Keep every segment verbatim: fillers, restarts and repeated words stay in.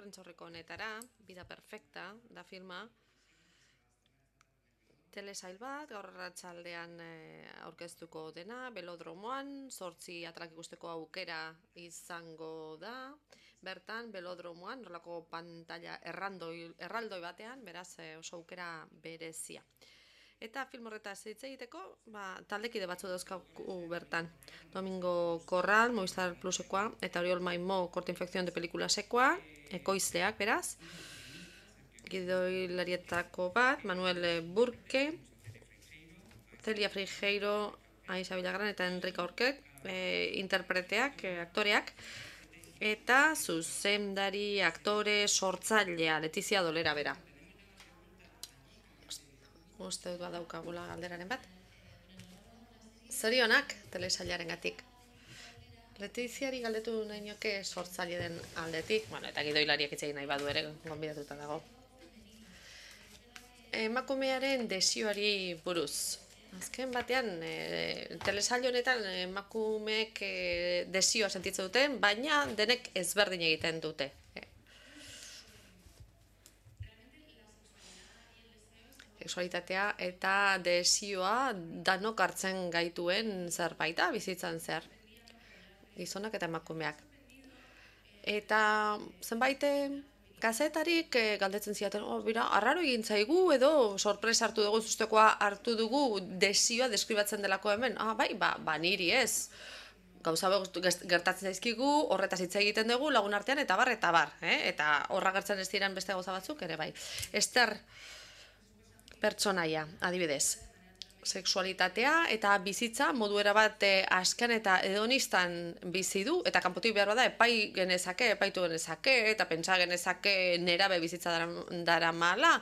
prentsaurreko honetara, Vida Perfecta, da filma, telesail bat, gaur arratsaldean aurkeztuko dena, belodromoan, zortzi atalak ikusteko aukera izango da, bertan, belodromoan, horrelako pantalla erraldoi, erraldoi batean, beraz oso aukera berezia. Eta film horretaz hitz egiteko, ba, taldekide batzu dauzkagu bertan. Domingo Corral, Movistar Plusekoa, eta Oriol Maimó, Corte Infección de Pelikulasekoa, ekoizleak, beraz. Gidoilarietako bat, Manuel Burke, Celia Frigeiro, Aisa Vilagran eta Enrika Orket, e, interpreteak, e, aktoreak, eta zuzendari, aktore, sortzailea, Letizia Dolera bera. Uste dut badaukagula galderaren bat. Zorionak telesailaren gatik. Letiziari galdetu nahi nioke sortzaile den aldetik, bueno, eta gidoilariak hitz egin nahi badu ere, gonbidatuta dago. Emakumearen desioari buruz. Azken batean, e, telesail honetan emakumeek e, desioa sentitzen duten, baina denek ezberdin egiten dute. Sexualitatea eta desioa danok hartzen gaituen zerbaita bizitzan zer. Gizonak eta emakumeak. Eta zenbait kazetarik galdetzen ziaten, oh, bira, arraro egin zaigu edo sorpresa hartu dugu, zustekoa hartu dugu desioa deskribatzen delako hemen. Ah, bai, ba, ba niri ez. Gauza gertatzen zaizkigu, horretaz hitz egiten dugu lagun artean eta bar, eta bar. Eh? Eta horra gertzen ez diren beste gauza batzuk ere bai. Ester pertsonaia, adibidez, sexualitatea eta bizitza modu erabat asken eta hedonistan bizi du, eta kanpotik behar bada epai genezake, epaitu genezake, eta pentsa genezake nerabe bizitza dara mala,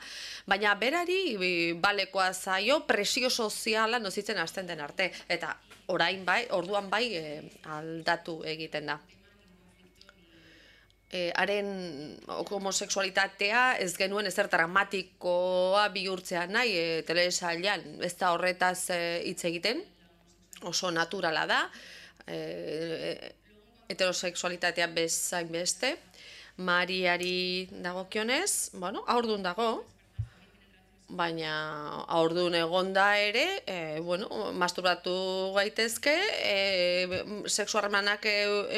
baina berari balekoa zaio presio soziala nozitzen hasten den arte, eta orain bai, orduan bai aldatu egiten da. Haren homosexualitatea ez genuen ezer dramatikoa bihurtzea nahi e, telesailean, ez da horretaz hitz egiten, oso naturala da, e, heterosexualitatea bezain beste, Mariari dagokionez, bueno, haurdun dago, baina haurdun egonda ere, e, bueno, masturbatu gaitezke, e, sexu harremanak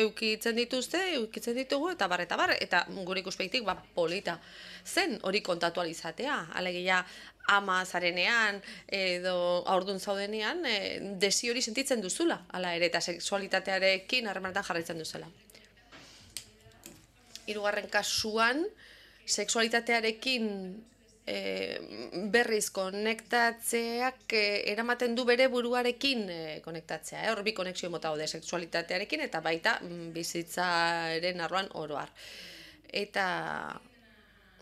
eukitzen dituzte, eukitzen ditugu, eta bar, eta bar, eta gure ikuspeitik, ba, polita zen hori kontatu alizatea, alegia ama zarenean edo haurdun zaudenean, e, desi hori sentitzen duzula, ala ere, eta sexualitatearekin harremanetan jarraitzen duzela. Hirugarren kasuan, sexualitatearekin E, berriz konektatzeak e, eramaten du bere buruarekin e, konektatzea. Hor bi konexio mota daude sexualitatearekin eta baita bizitzaren arloan oroar. Eta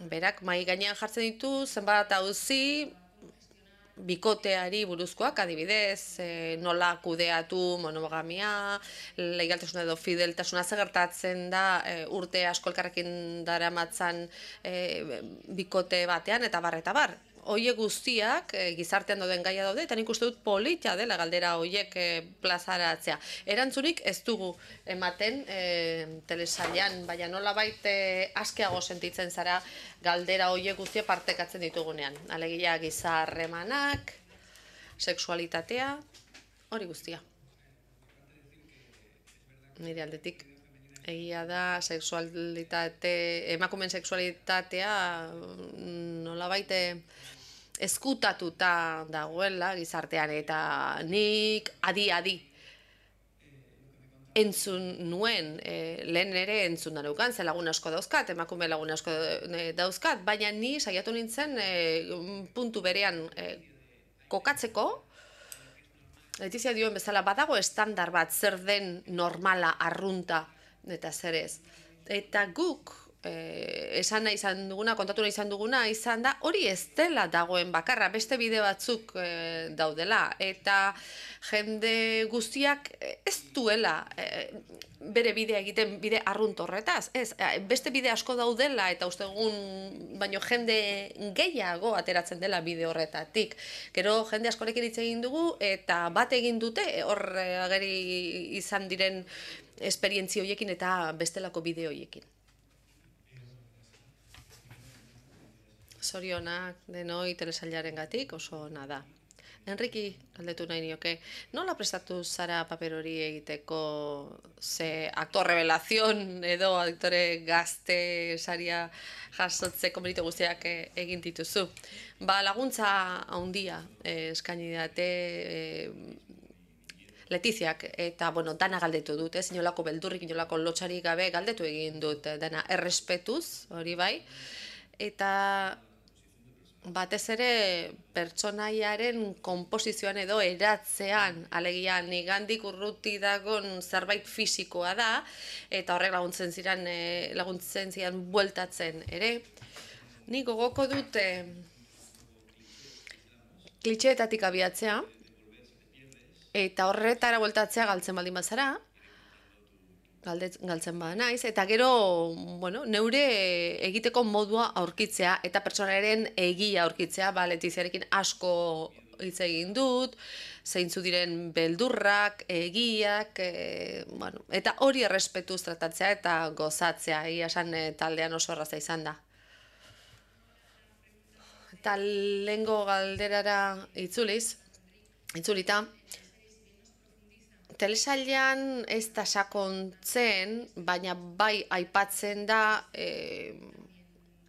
berak mahai gainean jartzen ditu zenbat auzi bikoteari buruzkoak, adibidez, e, nola kudeatu monogamia, leigaltasuna edo fideltasuna gertatzen da e, urte asko elkarrekin daramatzan e, bikote batean, eta bar, eta bar. Hoiek guztiak e, gizartean dauden gaia daude, eta nik uste dut polita dela galdera hoiek e, plazaratzea. Erantzunik ez dugu ematen e, telesailean, baina nola baita e, askeago sentitzen zara galdera hoiek guztia partekatzen ditugunean. Alegia gizarremanak, sexualitatea, hori guztia. Nire aldetik. Egia da, sexualitate, emakumen sexualitatea nola baita ezkutatuta dagoela gizartean, eta nik adi-adi entzun nuen, e, lehen ere entzun danukan, ze lagun asko dauzkat, emakume lagun asko dauzkat, baina ni saiatu nintzen e, puntu berean e, kokatzeko, Letizia dioen bezala badago estandar bat zer den normala, arrunta, eta zer ez. Eta guk, Eh, esan nahi izan duguna, kontatu nahi izan duguna, izan da, hori ez dela dagoen bakarra, beste bide batzuk eh, daudela, eta jende guztiak ez duela eh, bere bidea egiten bide arrunt horretaz, ez, beste bide asko daudela, eta uste egun, baino jende gehiago ateratzen dela bide horretatik. Gero jende askorekin hitz egin dugu, eta bat egin dute, hor ageri izan diren esperientzia horiekin eta bestelako bide horiekin. Zorionak denoi telesailarengatik oso ona da. Enriki, galdetu nahi nioke, nola prestatu zara paper hori egiteko ze aktor revelazion edo aktore gazte saria jasotzeko meritu guztiak eh, egin dituzu? Ba, laguntza handia eh, eskaini didate eh, Letiziak, eta, bueno, dana galdetu dut, ez, inolako beldurrik, inolako lotxarik gabe galdetu egin dut, eh, dana errespetuz, hori bai, eta batez ere pertsonaiaren konposizioan edo eratzean, alegia nigandik urruti dagon zerbait fisikoa da, eta horrek laguntzen ziren, eh, laguntzen ziren bueltatzen ere. Nik gogoko dut eh, klitxeetatik abiatzea, eta horretara bueltatzea galtzen baldin bazara, galtzen bada naiz, eta gero, bueno, neure egiteko modua aurkitzea, eta pertsonaren egia aurkitzea, ba, Letiziarekin asko hitz egin dut, zeintzu diren beldurrak, egiak, e, bueno, eta hori errespetuz tratatzea eta gozatzea, egia esan e, taldean oso erraza izan da. Eta lehengo galderara itzuliz, itzulita, telesailean ez da sakontzen, baina bai aipatzen da e,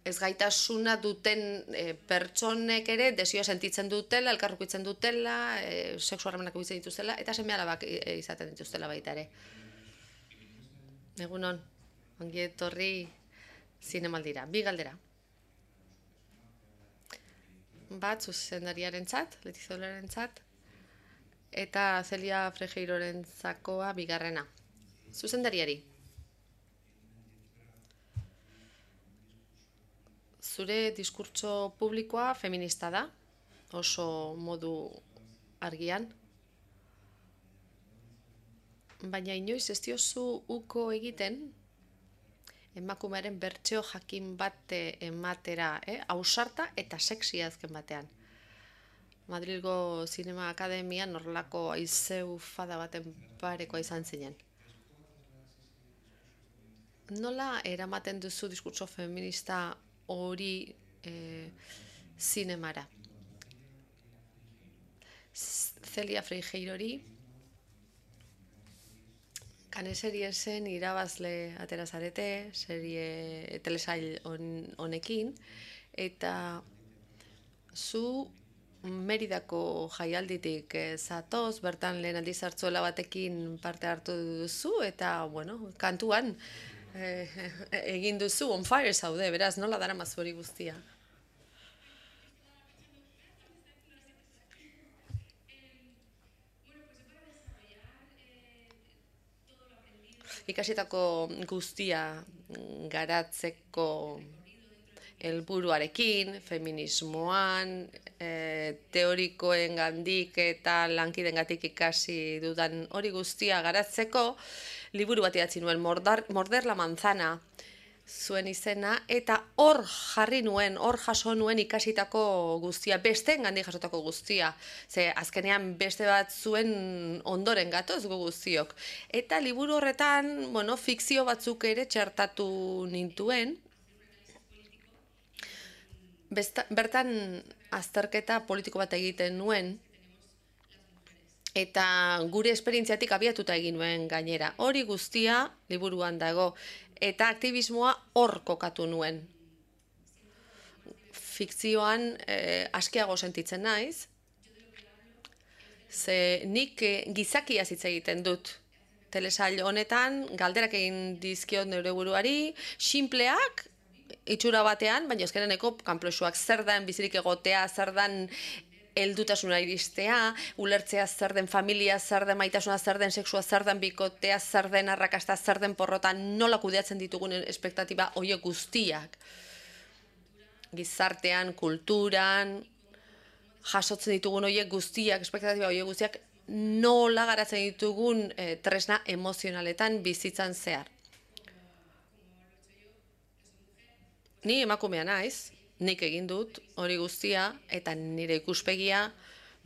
ez gaitasuna duten e, pertsonek ere desioa sentitzen dutela, elkarrukitzen dutela, e, sexu harremanak bizitzen dituztela, eta seme-alabak e, izaten dituztela baita ere. Egunon, ongi etorri zinemaldira. Bi galdera. Bat, zuzendariarentzat, Letizolarentzat, eta Celia Frejeirorenzakoa bigarrena. Zuzendariari. Zure diskurtso publikoa feminista da, oso modu argian. Baina inoiz ez diozu uko egiten, emakumearen bertsio jakin bate ematera, eh? Ausarta eta sexia azken batean. Madrilgo Zinema Akademian horrelako aizeu fada baten parekoa izan zinen. Nola eramaten duzu diskurtso feminista hori e, zinemara? Celia Freijeirori Kane seriesen irabazle atera zarete, serie telesail honekin, eta zu Meridako jaialditik zatoz, bertan lehen aldiz hartzuela batekin parte hartu duzu, eta, bueno, kantuan eh, egin duzu, on fire zaude, beraz, nola dara mazu hori guztia? Ikasitako guztia garatzeko helburuarekin, feminismoan, e, teorikoen gandik eta lankidengatik ikasi dudan hori guztia garatzeko, liburu bat idatzi nuen, Morder, Morder la manzana zuen izena, eta hor jarri nuen, hor jaso nuen ikasitako guztia, besteen gandik jasotako guztia, ze azkenean beste bat zuen ondoren gatoz gu guztiok. Eta liburu horretan, bueno, fikzio batzuk ere txertatu nintuen, Besta, bertan azterketa politiko bat egiten nuen, eta gure esperientziatik abiatuta egin nuen gainera. Hori guztia liburuan dago, eta aktivismoa hor kokatu nuen. Fikzioan eh, askeago sentitzen naiz, ze nik eh, gizakiaz hitz egiten dut. Telesail honetan galderak egin dizkiot neure buruari, sinpleak, itxura batean, baina ezkereneko kanplosuak zer den bizirik egotea, zer den heldutasuna iristea, ulertzea zer den familia, zer den maitasuna, zer den sexua, zer den bikotea, zer den arrakasta, zer den porrota, nola kudeatzen ditugun espektatiba horiek guztiak. Gizartean, kulturan, jasotzen ditugun horiek guztiak, espektatiba horiek guztiak, nola garatzen ditugun eh, tresna emozionaletan bizitzan zehar. Ni emakumea naiz, nik egin dut hori guztia, eta nire ikuspegia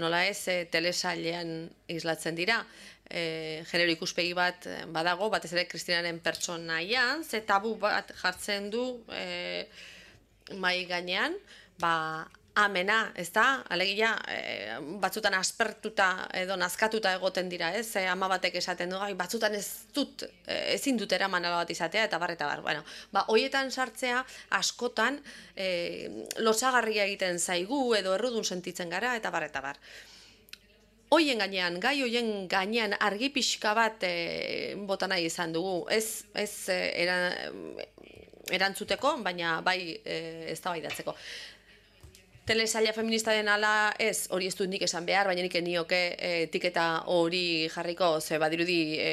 nola ez e, telesailean islatzen dira. E, genero ikuspegi bat badago, batez ere Kristinaren pertsonaian, ze tabu bat jartzen du e, mai gainean, ba, amena, ez da? Alegia, e, batzutan aspertuta edo nazkatuta egoten dira, ez? E, ama batek esaten du, gai, batzutan ez dut, e, ezin dut eraman ala bat izatea, eta bar, eta bar. Bueno, ba, hoietan sartzea askotan e, losagarria egiten zaigu edo errudun sentitzen gara, eta bar, eta bar. Hoien gainean, gai hoien gainean argi pixka bat e, bota nahi izan dugu. Ez, ez e, era, erantzuteko, baina bai e, eztabaidatzeko. Telesaila feminista den ala ez, hori ez dut nik esan behar, baina nik nioke e, etiketa hori jarriko, ze badirudi e,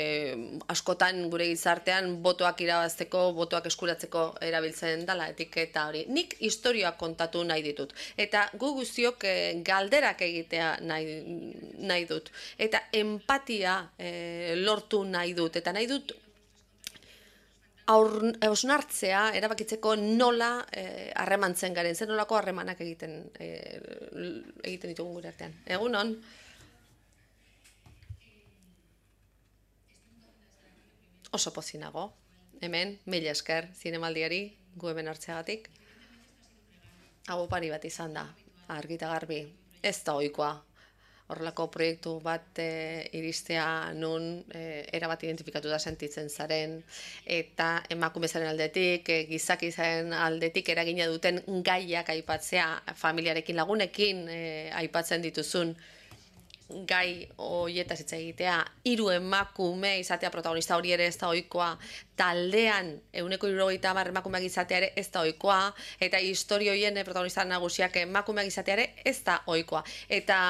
askotan gure gizartean botoak irabazteko, botoak eskuratzeko erabiltzen dela etiketa hori. Nik historioak kontatu nahi ditut, eta gu guztiok e, galderak egitea nahi, nahi dut, eta empatia e, lortu nahi dut, eta nahi dut hausnartzea, erabakitzeko nola harremantzen garen, zer nolako harremanak egiten egiten ditugun gure artean. Egunon? Oso pozinago. Hemen, mila esker, zinemaldiari, gu hemen hartzeagatik. Hau opari bat izan da, argita garbi. Ez da ohikoa. Horrelako proiektu bat e, iristea nun e, erabat identifikatu da sentitzen zaren, eta emakumezaren aldetik, e, gizakizaren aldetik eragina duten gaiak aipatzea, familiarekin lagunekin e, aipatzen dituzun gai horietaz hitz egitea, hiru emakume izatea protagonista hori ere ez da ohikoa, taldean ehuneko hirurogeita hamar emakumeak izatea ere ez da ohikoa, eta istorio horien protagonista nagusiak emakumeak izatea ere ez da ohikoa. Eta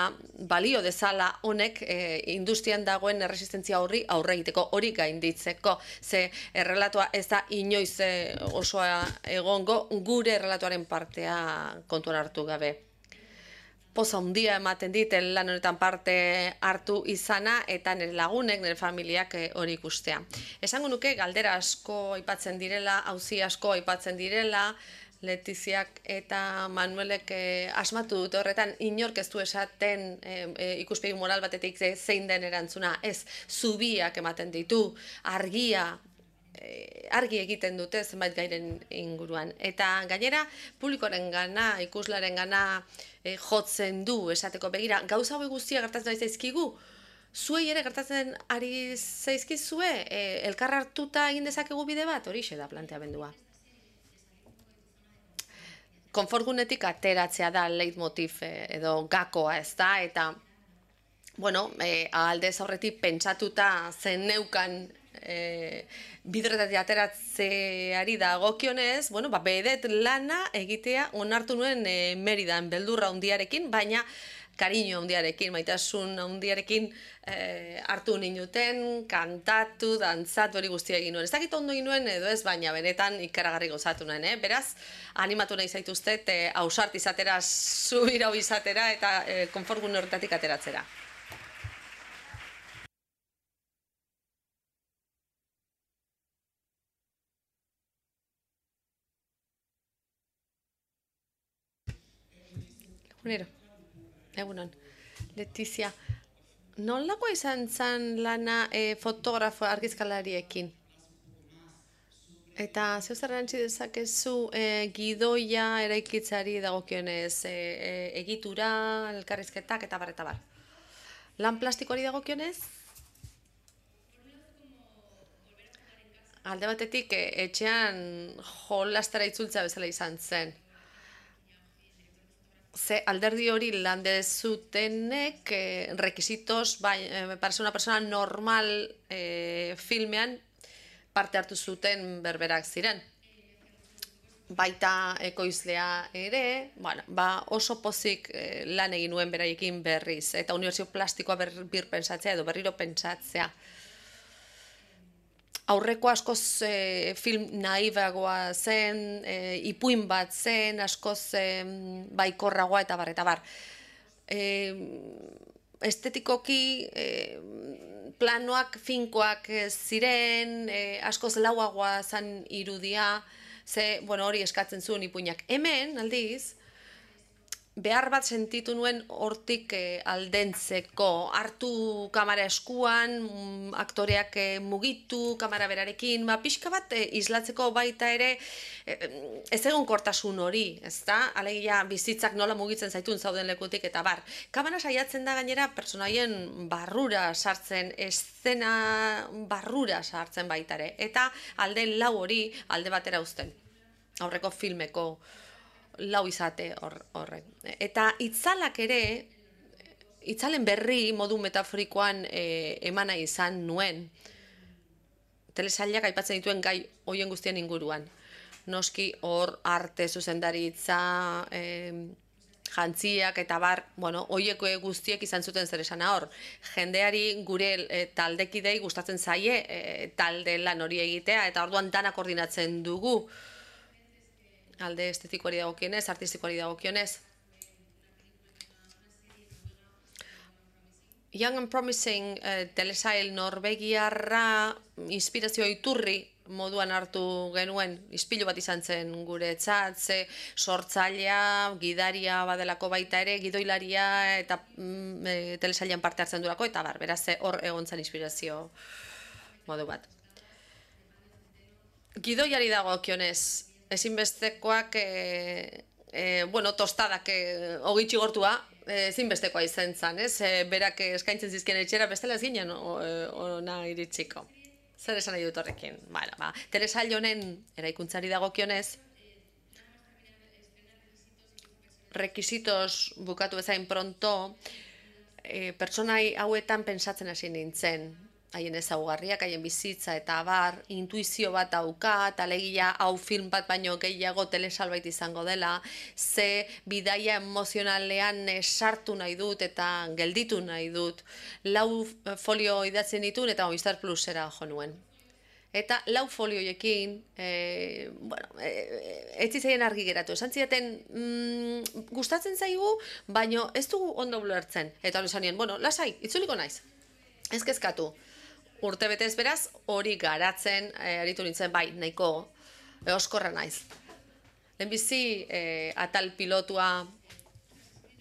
balio dezala honek e, industrian dagoen erresistentzia horri aurre egiteko, hori gainditzeko, ze errelatoa ez da inoiz e, osoa egongo gure errelatoaren partea kontuan hartu gabe. Poza handia ematen dit lan honetan parte hartu izana eta nire lagunek, nire familiak hori ikustea. Esango nuke galdera asko aipatzen direla, auzi asko aipatzen direla, Letiziak eta Manuelek eh, asmatu dute horretan inork ez du esaten eh, ikuspegi moral batetik zein den erantzuna, ez, zubiak ematen ditu, argia, argi egiten dute zenbait gairen inguruan. Eta gainera, publikoaren gana, ikuslaren gana e, jotzen du esateko begira. Gauza hori guztia gertatzen ari zaizkigu, zuei ere gertatzen ari zaizkizue, e, elkar hartuta egin dezakegu bide bat, horixe da planteamendua. Konfortgunetik ateratzea da leitmotiv edo gakoa, ez da, eta bueno, e, aldez aurretik pentsatuta zen neukan E, bidretatik ateratzeari dagokionez, bueno, ba, bedet lana egitea onartu nuen e, Meridan beldurra handiarekin, baina kariño handiarekin, maitasun handiarekin e, hartu ninuten, kantatu, dantzatu hori guztia egin nuen. Ez dakit ondo egin nuen edo ez, baina benetan ikaragarri gozatu nuen, eh? Beraz, animatu nahi zaituztet e, ausart izatera, zubirau izatera eta e, konfortgune horretatik ateratzera. Egunon, Letizia, nolakoa izan zen lana e, fotografo argizkalariekin? Eta zeu zer erantzi dezakezu e, gidoia eraikitzari dagokionez e, e, egitura, elkarrizketak eta bar eta bar. Lan plastikoari dagokionez? Alde batetik e, etxean jolastara itzultza bezala izan zen. Ze alderdi hori lande zutenek eh, rekisitos, bai, eh, para ser una persona normal eh, filmean parte hartu zuten berberak ziren. Baita ekoizlea ere, bueno, ba oso pozik eh, lan egin nuen beraiekin berriz, eta unibertsio plastikoa ber, bir pentsatzea edo berriro pentsatzea. Aurreko askoz e, film naibagoa zen, e, ipuin bat zen, askoz e, baikorragoa eta bar, eta bar. E, estetikoki e, planoak finkoak ziren, e, askoz lauagoa zen irudia, ze, bueno, hori eskatzen zuen ipuinak. Hemen, aldiz, behar bat sentitu nuen hortik e, aldentzeko, hartu kamera eskuan, mm, aktoreak e, mugitu, kamera berarekin, ba, pixka bat e, islatzeko baita ere, e, ez egon kortasun hori, ezta? Alegia bizitzak nola mugitzen zaitun zauden lekutik eta bar. Kamera saiatzen da gainera pertsonaien barrura sartzen, eszena barrura sartzen baita ere, eta alde lau hori alde batera uzten, aurreko filmeko lau izate horrek. Eta itzalak ere, itzalen berri modu metaforikoan e, emana izan nuen, telesailak aipatzen dituen gai hoien guztien inguruan. Noski hor arte zuzendaritza, e, jantziak eta bar, bueno, hoieko guztiek izan zuten zer esana hor. Jendeari gure e, taldekidei gustatzen zaie e, talde lan hori egitea, eta orduan dana koordinatzen dugu, alde estetikoari dagokionez, artistikoari dagokionez. Young and Promising eh, telesail norbegiarra inspirazio iturri moduan hartu genuen, ispilu bat izan zen gure etzat, ze sortzailea, gidaria badelako baita ere, gidoilaria eta mm, e, telesailean parte hartzen durako, eta bar, beraz hor egon zen inspirazio modu bat. Gidoiari dagokionez, ezinbestekoak, e, e, bueno, tostadak e, ogitxi gortua, ezinbestekoa izan zen, ez? E, berak eskaintzen zizkien etxera, bestela ez ginen ona iritsiko. Zer esan nahi dut horrekin? Bueno, ba, telesail honen eraikuntzari dagokionez, rekisitos bukatu bezain pronto, e, pertsonai hauetan pentsatzen hasi nintzen, haien ezaugarriak, haien bizitza eta abar, intuizio bat daukat, alegia hau film bat baino gehiago telesalbait izango dela, ze bidaia emozionalean sartu nahi dut eta gelditu nahi dut. Lau folio idatzen ditun eta Movistar Plusera jo nuen. Eta lau folioiekin, e, bueno, e, ez zitzaien argi geratu. Esan zidaten, mm, gustatzen zaigu, baino ez dugu ondo ulertzen. Eta hori esan nien, bueno, lasai, itzuliko naiz. Ez kezkatu. Urte betez beraz, hori garatzen, e, aritu nintzen, bai, nahiko e, oskorra naiz. Lehenbizi, e, atal pilotua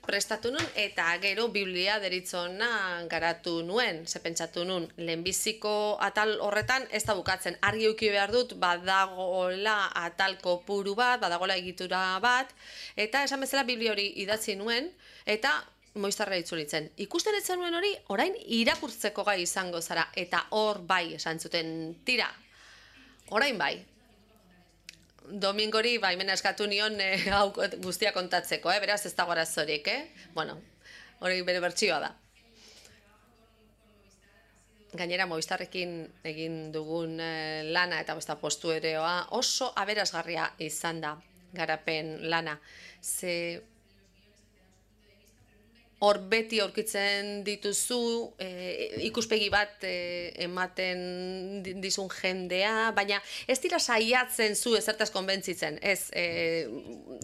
prestatu nun, eta gero biblia deritzona garatu nuen, ze pentsatu nun, lehenbiziko atal horretan ez da bukatzen. Argi euki behar dut, badagola atal kopuru bat, badagola egitura bat, eta esan bezala biblia hori idatzi nuen, eta Movistarra itzulitzen. Ikusten ez zenuen hori, orain irakurtzeko gai izango zara, eta hor bai esan zuten, tira, orain bai. Domingori baimena eskatu nion eh, hau guztia kontatzeko, eh? Beraz ez dago arazorik, eh? Bueno, hori bere bertsioa da. Gainera Movistarrekin egin dugun eh, lana eta besta postuereoa oso aberasgarria izan da garapen lana. Ze hor beti aurkitzen dituzu, e, ikuspegi bat e, ematen dizun jendea, baina ez dira saiatzen zu ezertaz konbentzitzen, ez, e,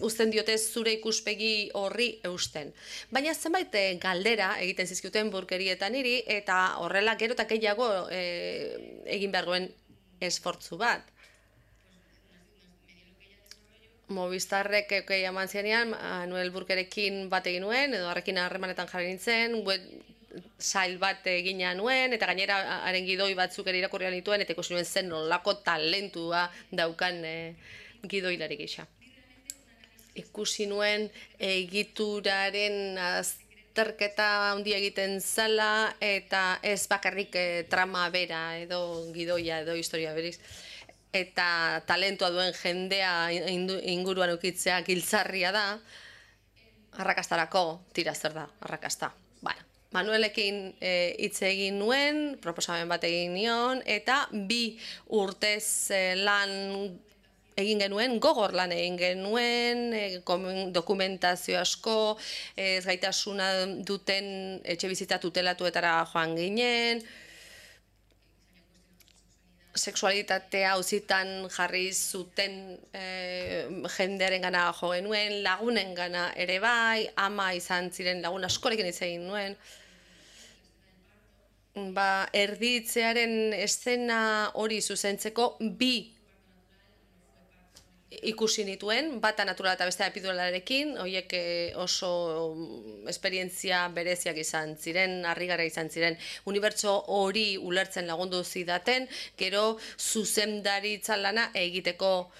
uzten diote zure ikuspegi horri eusten. Baina zenbait e, galdera egiten zizkiuten burkerietan niri, eta horrela gero eta gehiago e, egin behargoen esfortzu bat. Movistarrek ekei eman zianean, Manuel Burkerekin bat egin nuen, edo harrekin harremanetan jarri nintzen, web sail bat egina nuen, eta gainera haren gidoi batzuk ere irakurrian dituen, eta ikusi nuen zen nolako talentua daukan e, gidoilari gisa. Ikusi nuen egituraren azterketa handia egiten zala, eta ez bakarrik e, trama bera, edo gidoia, edo historia beriz. Eta talentua duen jendea inguruan ukitzea giltzarria da, arrakastarako tira zer da, arrakasta. Bueno, Manuelekin hitz e, egin nuen, proposamen bat egin nion, eta bi urtez e, lan egin genuen, gogor lan egin genuen, e, dokumentazio asko, ez gaitasuna duten etxe bizitza tutelatuetara joan ginen, sexualitatea auzitan jarri zuten e, jendearen gana jo genuen, lagunen gana ere bai, ama izan ziren lagun askorekin hitz egin nuen. Ba, erditzearen eszena hori zuzentzeko bi ikusi nituen, bata naturala eta bestea epiduralarekin, horiek oso esperientzia bereziak izan ziren, harrigarria izan ziren, unibertso hori ulertzen lagundu zidaten, gero zuzendaritza lana egiteko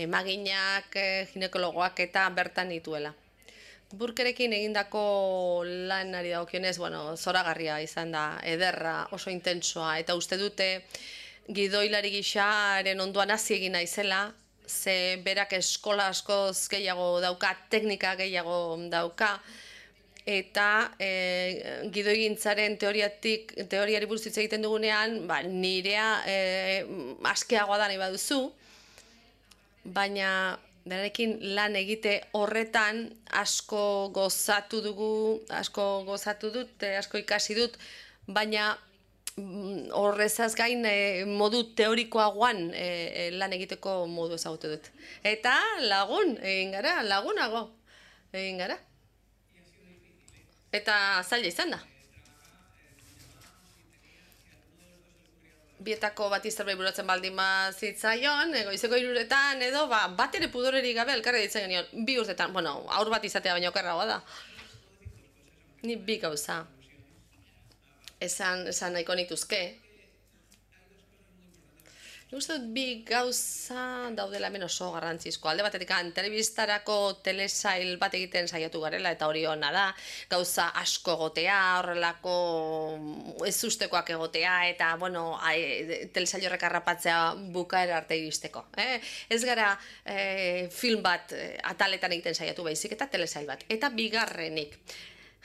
emaginak, ginekologoak eta bertan nituela. Burkerekin egindako lanari dagokionez, bueno, zoragarria izan da, ederra, oso intentsoa, eta uste dute gidoilari gixaren ondoan hasi egin naizela, ze berak eskola askoz gehiago dauka, teknika gehiago dauka, eta e, gidoigintzaren teoriatik, teoriari buruz hitz egiten dugunean, ba, nirea e, askeagoa da nahi baduzu, baina berarekin lan egite horretan asko gozatu dugu, asko gozatu dut, asko ikasi dut, baina horrezaz gain modu teorikoagoan lan egiteko modu ezagutu dut. Eta lagun, egin gara, lagunago, egin gara. Eta zaila izan da. Bietako bat zerbait burutzen baldin zitzaion, goizeko hiruretan edo bat ere pudorerik gabe elkarri ditzen genion, bi urtetan, bueno, aur bat izatea baino okerragoa da. Ni bi gauza. Esan, esan nahiko nituzke. Nik uste dut bi gauza daudela hemen oso garrantzizko. Alde batetik telebistarako telesail bat egiten saiatu garela eta hori ona da. Gauza asko egotea, horrelako ez ustekoak egotea eta, bueno, telesail horrek harrapatzea bukaera arte iristeko. Eh? Ez gara eh, film bat eh, ataletan egiten saiatu baizik eta telesail bat. Eta bigarrenik.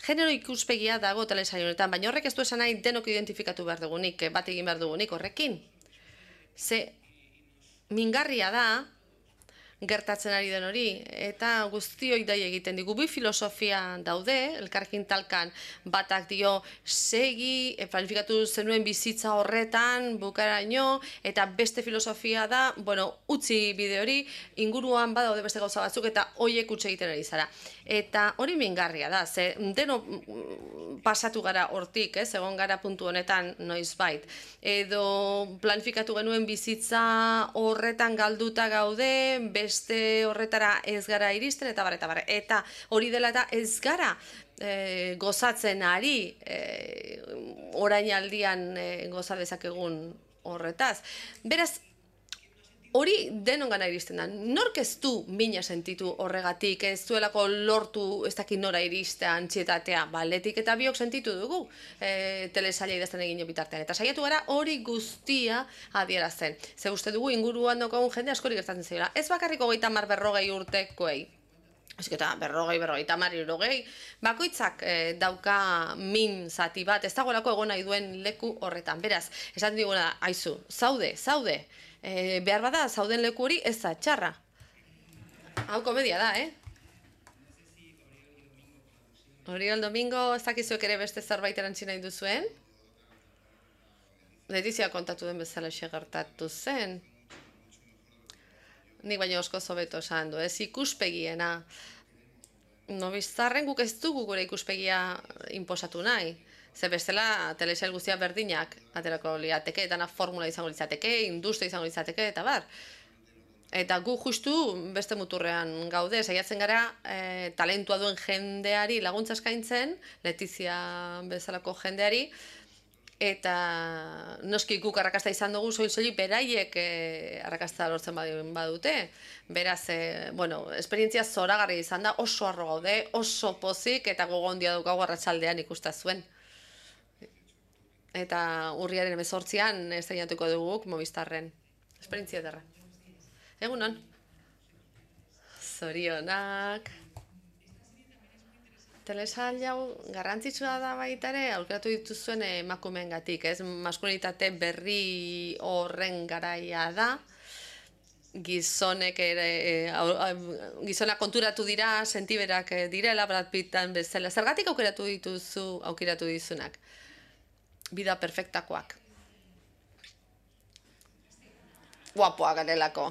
Genero ikuspegia dago telesail honetan, baina horrek ez du esan nahi denok identifikatu behar dugunik, bat egin behar dugunik horrekin. Ze mingarria da, gertatzen ari den hori, eta guztioi dai egiten digu. Bi filosofia daude, elkarrekin talkan batak dio segi, planifikatu zenuen bizitza horretan, bukaraino, eta beste filosofia da, bueno, utzi bide hori, inguruan badaude beste gauza batzuk, eta hoiek utzi egiten ari zara. Eta hori mingarria da, ze deno pasatu gara hortik, ez, egon gara puntu honetan noizbait. Edo planifikatu genuen bizitza horretan galduta gaude, beste horretara ez gara iristen, eta bar, eta bar. Eta hori dela eta ez gara e, gozatzen ari, e, orainaldian e, goza dezakegun horretaz. Beraz, hori denongana iristen da. Nork ez du mina sentitu horregatik, ez duelako lortu ez dakit nora iristea antxietatea, baletik eta biok sentitu dugu e, telesaila idazten egin bitartean. Eta saiatu gara hori guztia adierazten. Ze uste dugu inguruan daukagun jende askori gertatzen zaiola. Ez bakarriko hogeita hamar berrogei urtekoei. Ezik eta berrogei, berrogeita hamar, hirurogei, bakoitzak e, dauka min zati bat, ez dagoelako egon nahi duen leku horretan. Beraz, esaten diguna, aizu, zaude, zaude, e, behar bada, zauden leku hori ez da txarra. Hau komedia da, eh? Oriol Domingo, ez dakizuek ere beste zerbait erantzi nahi duzuen? Letizia kontatu den bezala gertatu zen. Nik baina osko zobeto esan du, ez ikuspegiena. Nobizarren guk ez dugu gure ikuspegia inposatu nahi. Ze bestela telesail guztia berdinak aterako liateke, dana formula izango litzateke, industria izango litzateke, eta bar. Eta gu justu beste muturrean gaude, saiatzen gara e, talentua duen jendeari laguntza eskaintzen, Letizia bezalako jendeari, eta noski guk arrakasta izan dugu soil-soilik beraiek eh, arrakasta lortzen badute. Beraz, eh, bueno, esperientzia zoragarri izan da, oso harro gaude, oso pozik eta gogondia daukagu arratsaldean ikusta zuen. Eta urriaren hemezortzian estreinatuko dugu guk Movistarren. Esperientzia ederra. Egunon. Zorionak. Telesail hau garrantzitsua da baita ere, aukeratu dituzuen emakumeengatik, ez? Maskulinitate berri horren garaia da. Gizonek ere, gizonak konturatu dira, sentiberak direla, Brad Pittan bezala. Zergatik aukeratu dituzu, aukeratu dizunak? Bida perfektakoak. Guapoak garelako.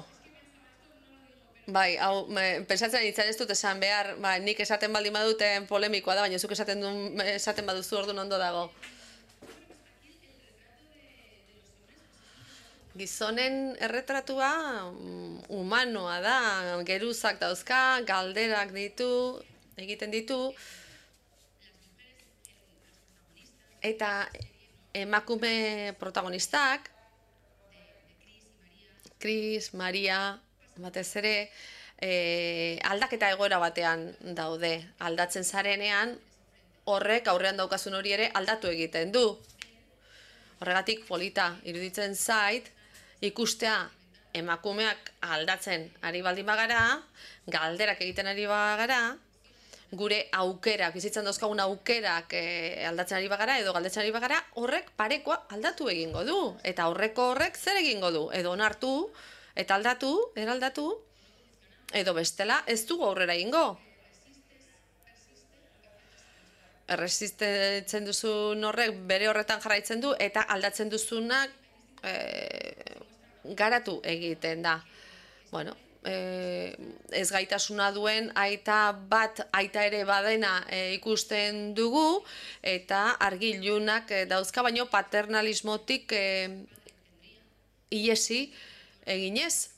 Bai, hau, pentsatzen nintzen ez dut esan behar, ba, nik esaten baldin baduten polemikoa da, baina zuk esaten, duen, esaten baduzu orduan ondo dago. gizonen erretratua mm, humanoa da, geruzak dauzka, galderak ditu, egiten ditu, eta emakume protagonistak, Chris, Maria, batez ere, e, aldaketa egoera batean daude. Aldatzen zarenean, horrek aurrean daukasun hori ere aldatu egiten du. Horregatik polita iruditzen zait, ikustea emakumeak aldatzen ari baldin bagara, galderak egiten ari bagara, gure aukerak, bizitzan dauzkagun aukerak e, aldatzen ari bagara edo galdetzen ari bagara, horrek parekoa aldatu egingo du. Eta horreko horrek zer egingo du? Edo onartu, eta aldatu, eraldatu, edo bestela ez dugu aurrera egingo. Erresistitzen duzun horrek bere horretan jarraitzen du, eta aldatzen duzunak e, garatu egiten da. Bueno, E, ez gaitasuna duen aita bat aita ere badena e, ikusten dugu, eta argilunak e, dauzka, baino paternalismotik e, iesi eginez.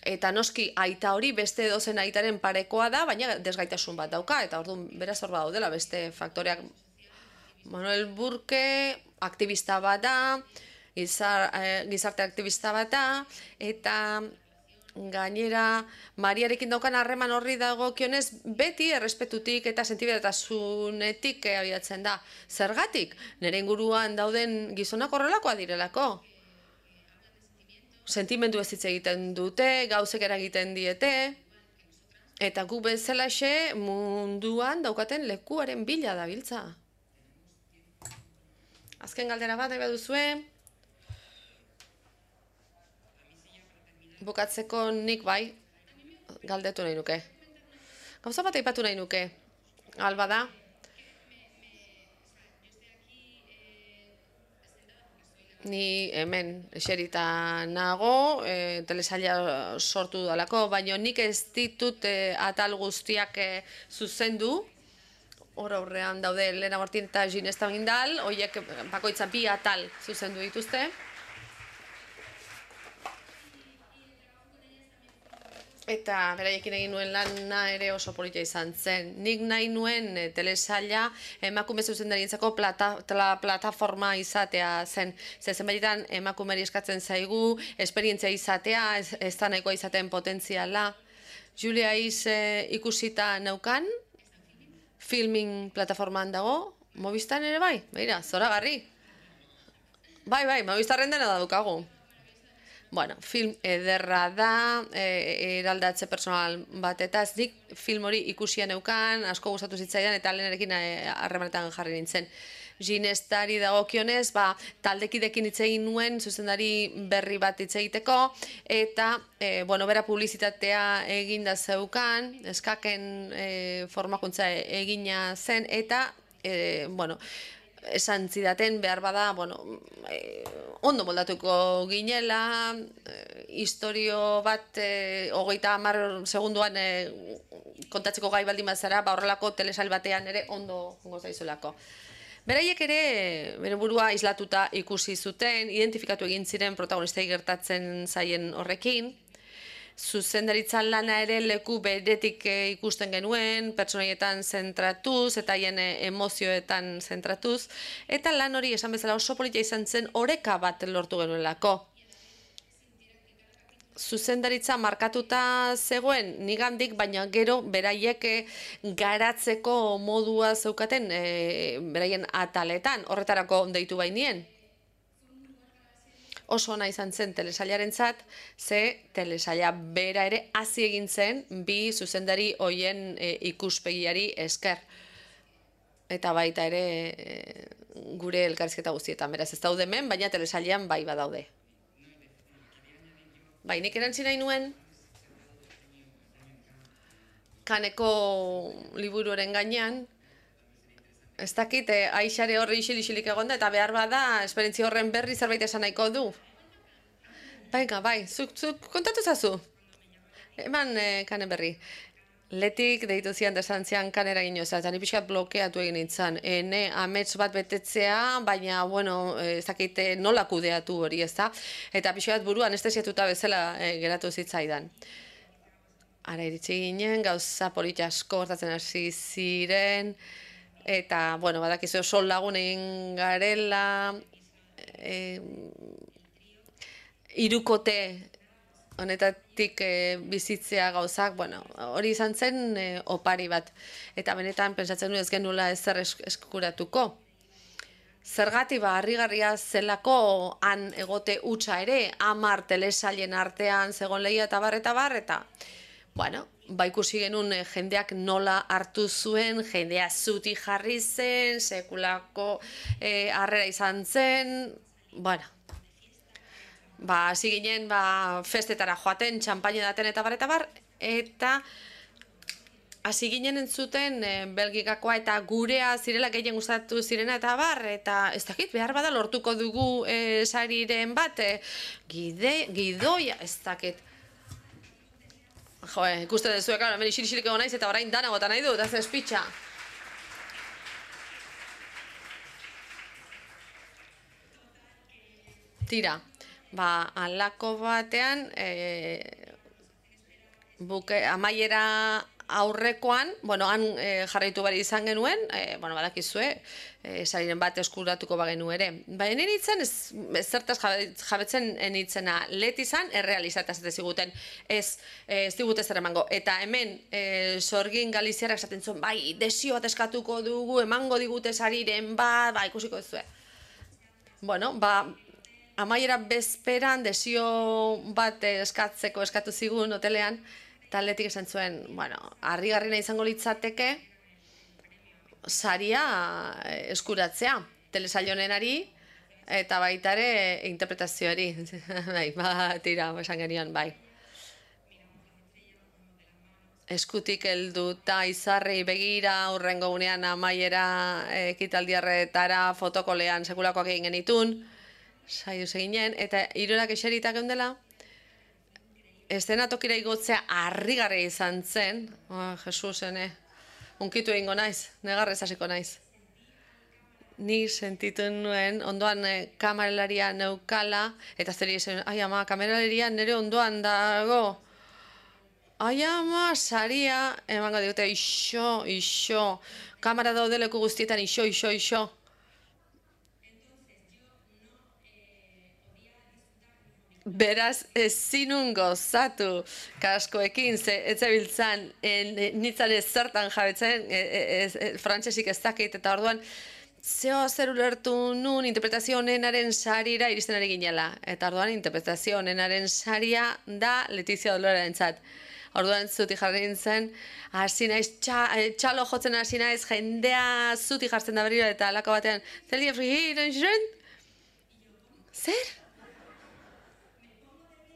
Eta noski aita hori beste edozen aitaren parekoa da, baina desgaitasun bat dauka, eta orduan beraz hor daudela beste faktoreak. Manuel Burke aktivista bat da, gizar, e, gizarte aktivista bat da, eta gainera, Mariarekin daukan harreman horri dagokionez beti errespetutik eta sentibetasunetik abiatzen da. Zergatik? Nire inguruan dauden gizonak horrelakoa direlako. Sentimendu ez hitz egiten dute, gauzek eragiten diete, eta gu bezalaxe munduan daukaten lekuaren bila dabiltza. Azken galdera bat, nahi baduzue. Bukatzeko nik bai, galdetu nahi nuke. Gauza bat aipatu nahi nuke. Alba da. Ni hemen eserita nago, e, telesaila sortu dalako, baina nik ez ditut e, atal guztiak e, zuzendu. Hor aurrean daude Elena Martin eta Ginesta Bindal, horiek bakoitza bi atal zuzendu dituzte. Eta beraiekin egin nuen lana ere oso polita izan zen. Nik nahi nuen e, telesaila emakume zuzendarientzako plata, plataforma izatea zen. Zezen baitetan emakumeri eskatzen zaigu, esperientzia izatea, ez, ez da nahikoa izaten potentziala. Julia Is e, ikusita neukan, filming plataformaan dago, Movistan ere bai, beira, zoragarri. Bai, bai, Movistarren dena da dukagu. Bueno, film ederra da, e, eraldatze personal bat, eta ez nik film hori ikusia neukan, asko gustatu zitzaidan, eta lehenarekin harremanetan jarri nintzen. Ginestari dagokionez, ba, taldekidekin hitz egin nuen, zuzendari berri bat hitz egiteko, eta, e, bueno, bera publizitatea eginda zeukan, eskaken e, formakuntza egina zen, eta, e, bueno, esan zidaten behar bada, bueno, eh, ondo moldatuko ginela, eh, historio bat eh, hogeita hamar segunduan eh, kontatzeko gai baldin bazara, ba horrelako telesail batean ere ondo jongo zaizulako. Beraiek ere bere burua islatuta ikusi zuten, identifikatu egin ziren protagonistei gertatzen zaien horrekin, zuzendaritzan lana ere leku beretik ikusten genuen, pertsonaietan zentratuz eta haien emozioetan zentratuz, eta lan hori esan bezala oso polita izan zen oreka bat lortu genuelako. Zuzendaritza markatuta zegoen nigandik, baina gero beraiek garatzeko modua zeukaten e, beraien ataletan, horretarako deitu bainien. Oso ona izan zen telesailarentzat, ze telesaila bera ere hasi egin zen bi zuzendari hoien e, ikuspegiari esker. Eta baita ere e, gure elkarrizketa guztietan, beraz ez daude hemen, baina telesailean bai badaude. Bai, nik erantzi nahi nuen Kaneko liburuaren gainean, ez dakit, eh, Aixare horri isil-isilik egonda, eta behar bada, esperientzia horren berri zerbait esan nahiko du. Baina, bai, zuk, zuk kontatu zazu. Eman eh, Kane berri. Letik deitu zian desan zian kanera gino ez, eta ni pixkat blokeatu egin nintzen. Ene amets bat betetzea, baina, bueno, ez dakite nola kudeatu hori, ez da? Eta pixkat buru anestesiatuta bezala e, geratu zitzaidan. Ara iritsi ginen, gauza polita asko gertatzen hasi ziren, eta, bueno, badakizu sol lagun egin garela, e, irukote honetatik e, bizitzea gauzak, bueno, hori izan zen e, opari bat. Eta benetan pentsatzen du ez genula ezer eskuratuko. Zergatik ba, harrigarria zelako han egote hutsa ere, hamar telesailen artean zegon lehia eta bar eta bar, eta, bueno, ba ikusi genuen e, jendeak nola hartu zuen, jendea zuti jarri zen, sekulako e, harrera izan zen, bueno, ba, hasi ginen, ba, festetara joaten, txampaina daten eta bar, eta bar, eta hasi ginen entzuten e, Belgikakoa eta gurea zirela gehien gustatu zirena eta bar, eta ez dakit, behar bada lortuko dugu e, sariren bat, e, gide, gidoia, ez dakit. Jo, ikusten dezuek, claro, hemen isirixilik egon naiz eta orain dana gota nahi dut, ez espitxa. Tira. Ba, alako batean, e, buke, amaiera aurrekoan, bueno, han e, jarraitu bari izan genuen, e, bueno, badakizue, e, sariren bat eskuratuko bagenu ere. Baina nintzen, ez, ez zertaz jabetzen nitzena, let izan, errealizataz ez ziguten, ez, ez digute zer emango. Eta hemen, e, Sorgin Galiziarak esaten zuen, bai, desio bat eskatuko dugu, emango digute sariren bat, ba, ikusiko ez zuen. Bueno, ba, amaiera bezperan desio bat eskatzeko eskatu zigun hotelean, eta atletik esan zuen, bueno, harrigarriena izango litzateke saria eskuratzea, telesailonenari eta baita ere interpretazioari. Bai, ba, tira, esan genion, bai. Eskutik helduta izarri begira, hurrengo gunean amaiera ekitaldiarretara fotokolean sekulakoak egin genitun, saiu eginen, eta hirurak eserita geundela, eszenatokira igotzea harrigarria izan zen, oh, Jesus, ene, unkitu egingo naiz, negarrez hasiko naiz. Ni sentitu nuen, ondoan eh, kameralaria neukala, eta zeri zen, ai ama, kameralaria nire ondoan dago, ai ama, saria, emango digute, iso, iso, kamera daudeleku guztietan, iso, iso, iso. Beraz, ezinun gozatu kaskoekin, ze ez zebiltzan, nintzen ez zertan jabetzen, e, e, e, frantsesik ez dakit, eta orduan, zeo zer ulertu nun interpretazio honenaren sarira iristen ari ginela. Eta orduan, interpretazio honenaren saria da Letizia Dolorearentzat. Orduan, zuti jarri nintzen, hasi naiz, txa, txalo jotzen hasi naiz, jendea zuti jartzen da berriro, eta alako batean, zelia frigiren, zer?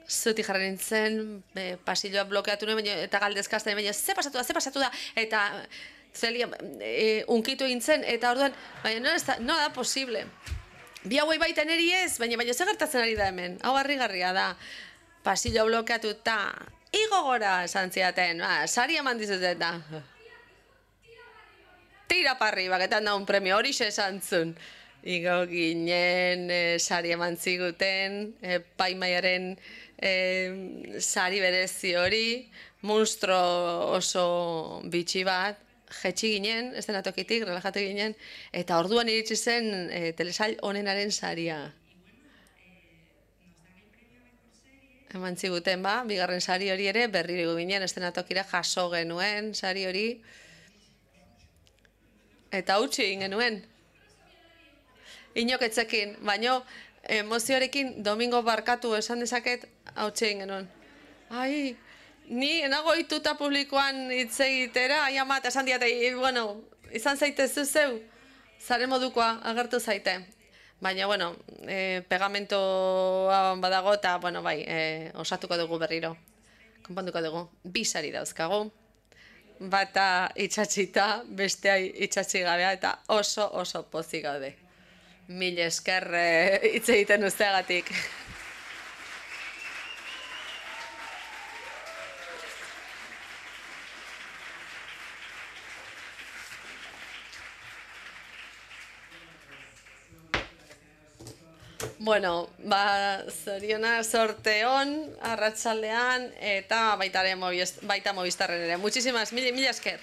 Zuti jarri nintzen, e, pasilloa blokeatu nuen, eta galdezkazten, baina ze pasatu da, ze pasatu da, eta zelia, e, unkitu egin zen, eta orduan, baina no, da, no da posible. Bi hauei baita neri ez, baina baina ze gertatzen ari da hemen, hau harrigarria da, pasilloa blokeatu eta, igo gora esan ziaten, ba, sari eman dizuten da. Tira parri, baketan da un premio, hori xe esan zun. Igo ginen, e, sari eman ziguten, e, paimaiaren e, sari berezi hori, monstro oso bitxi bat, jetxi ginen, ez dena tokitik, relajatu ginen, eta orduan iritsi zen e, telesail honenaren saria. Eman ziguten ba, bigarren sari hori ere, berriro ginen, ez dena tokira jaso genuen sari hori, eta utzi egin genuen. Inoketzekin, baino emozioarekin domingo barkatu esan dezaket hautsi egin genuen. Ai, ni enago ituta publikoan hitz egitera, ai ama, eta esan diate, bueno, izan zaite zuzeu, zaren modukoa agertu zaite. Baina, bueno, e, pegamentoa badago eta, bueno, bai, e, osatuko dugu berriro. Konponduko dugu, bi sari dauzkagu. Bata itxatxita, bestea itxatxi gabea, eta oso, oso pozik gaude. Mil esker hitz egiten usteagatik. Bueno, ba, zoriona sorte on, arratsaldean, eta baita ere Movistarren ere. Muchísimas, mila, mila esker.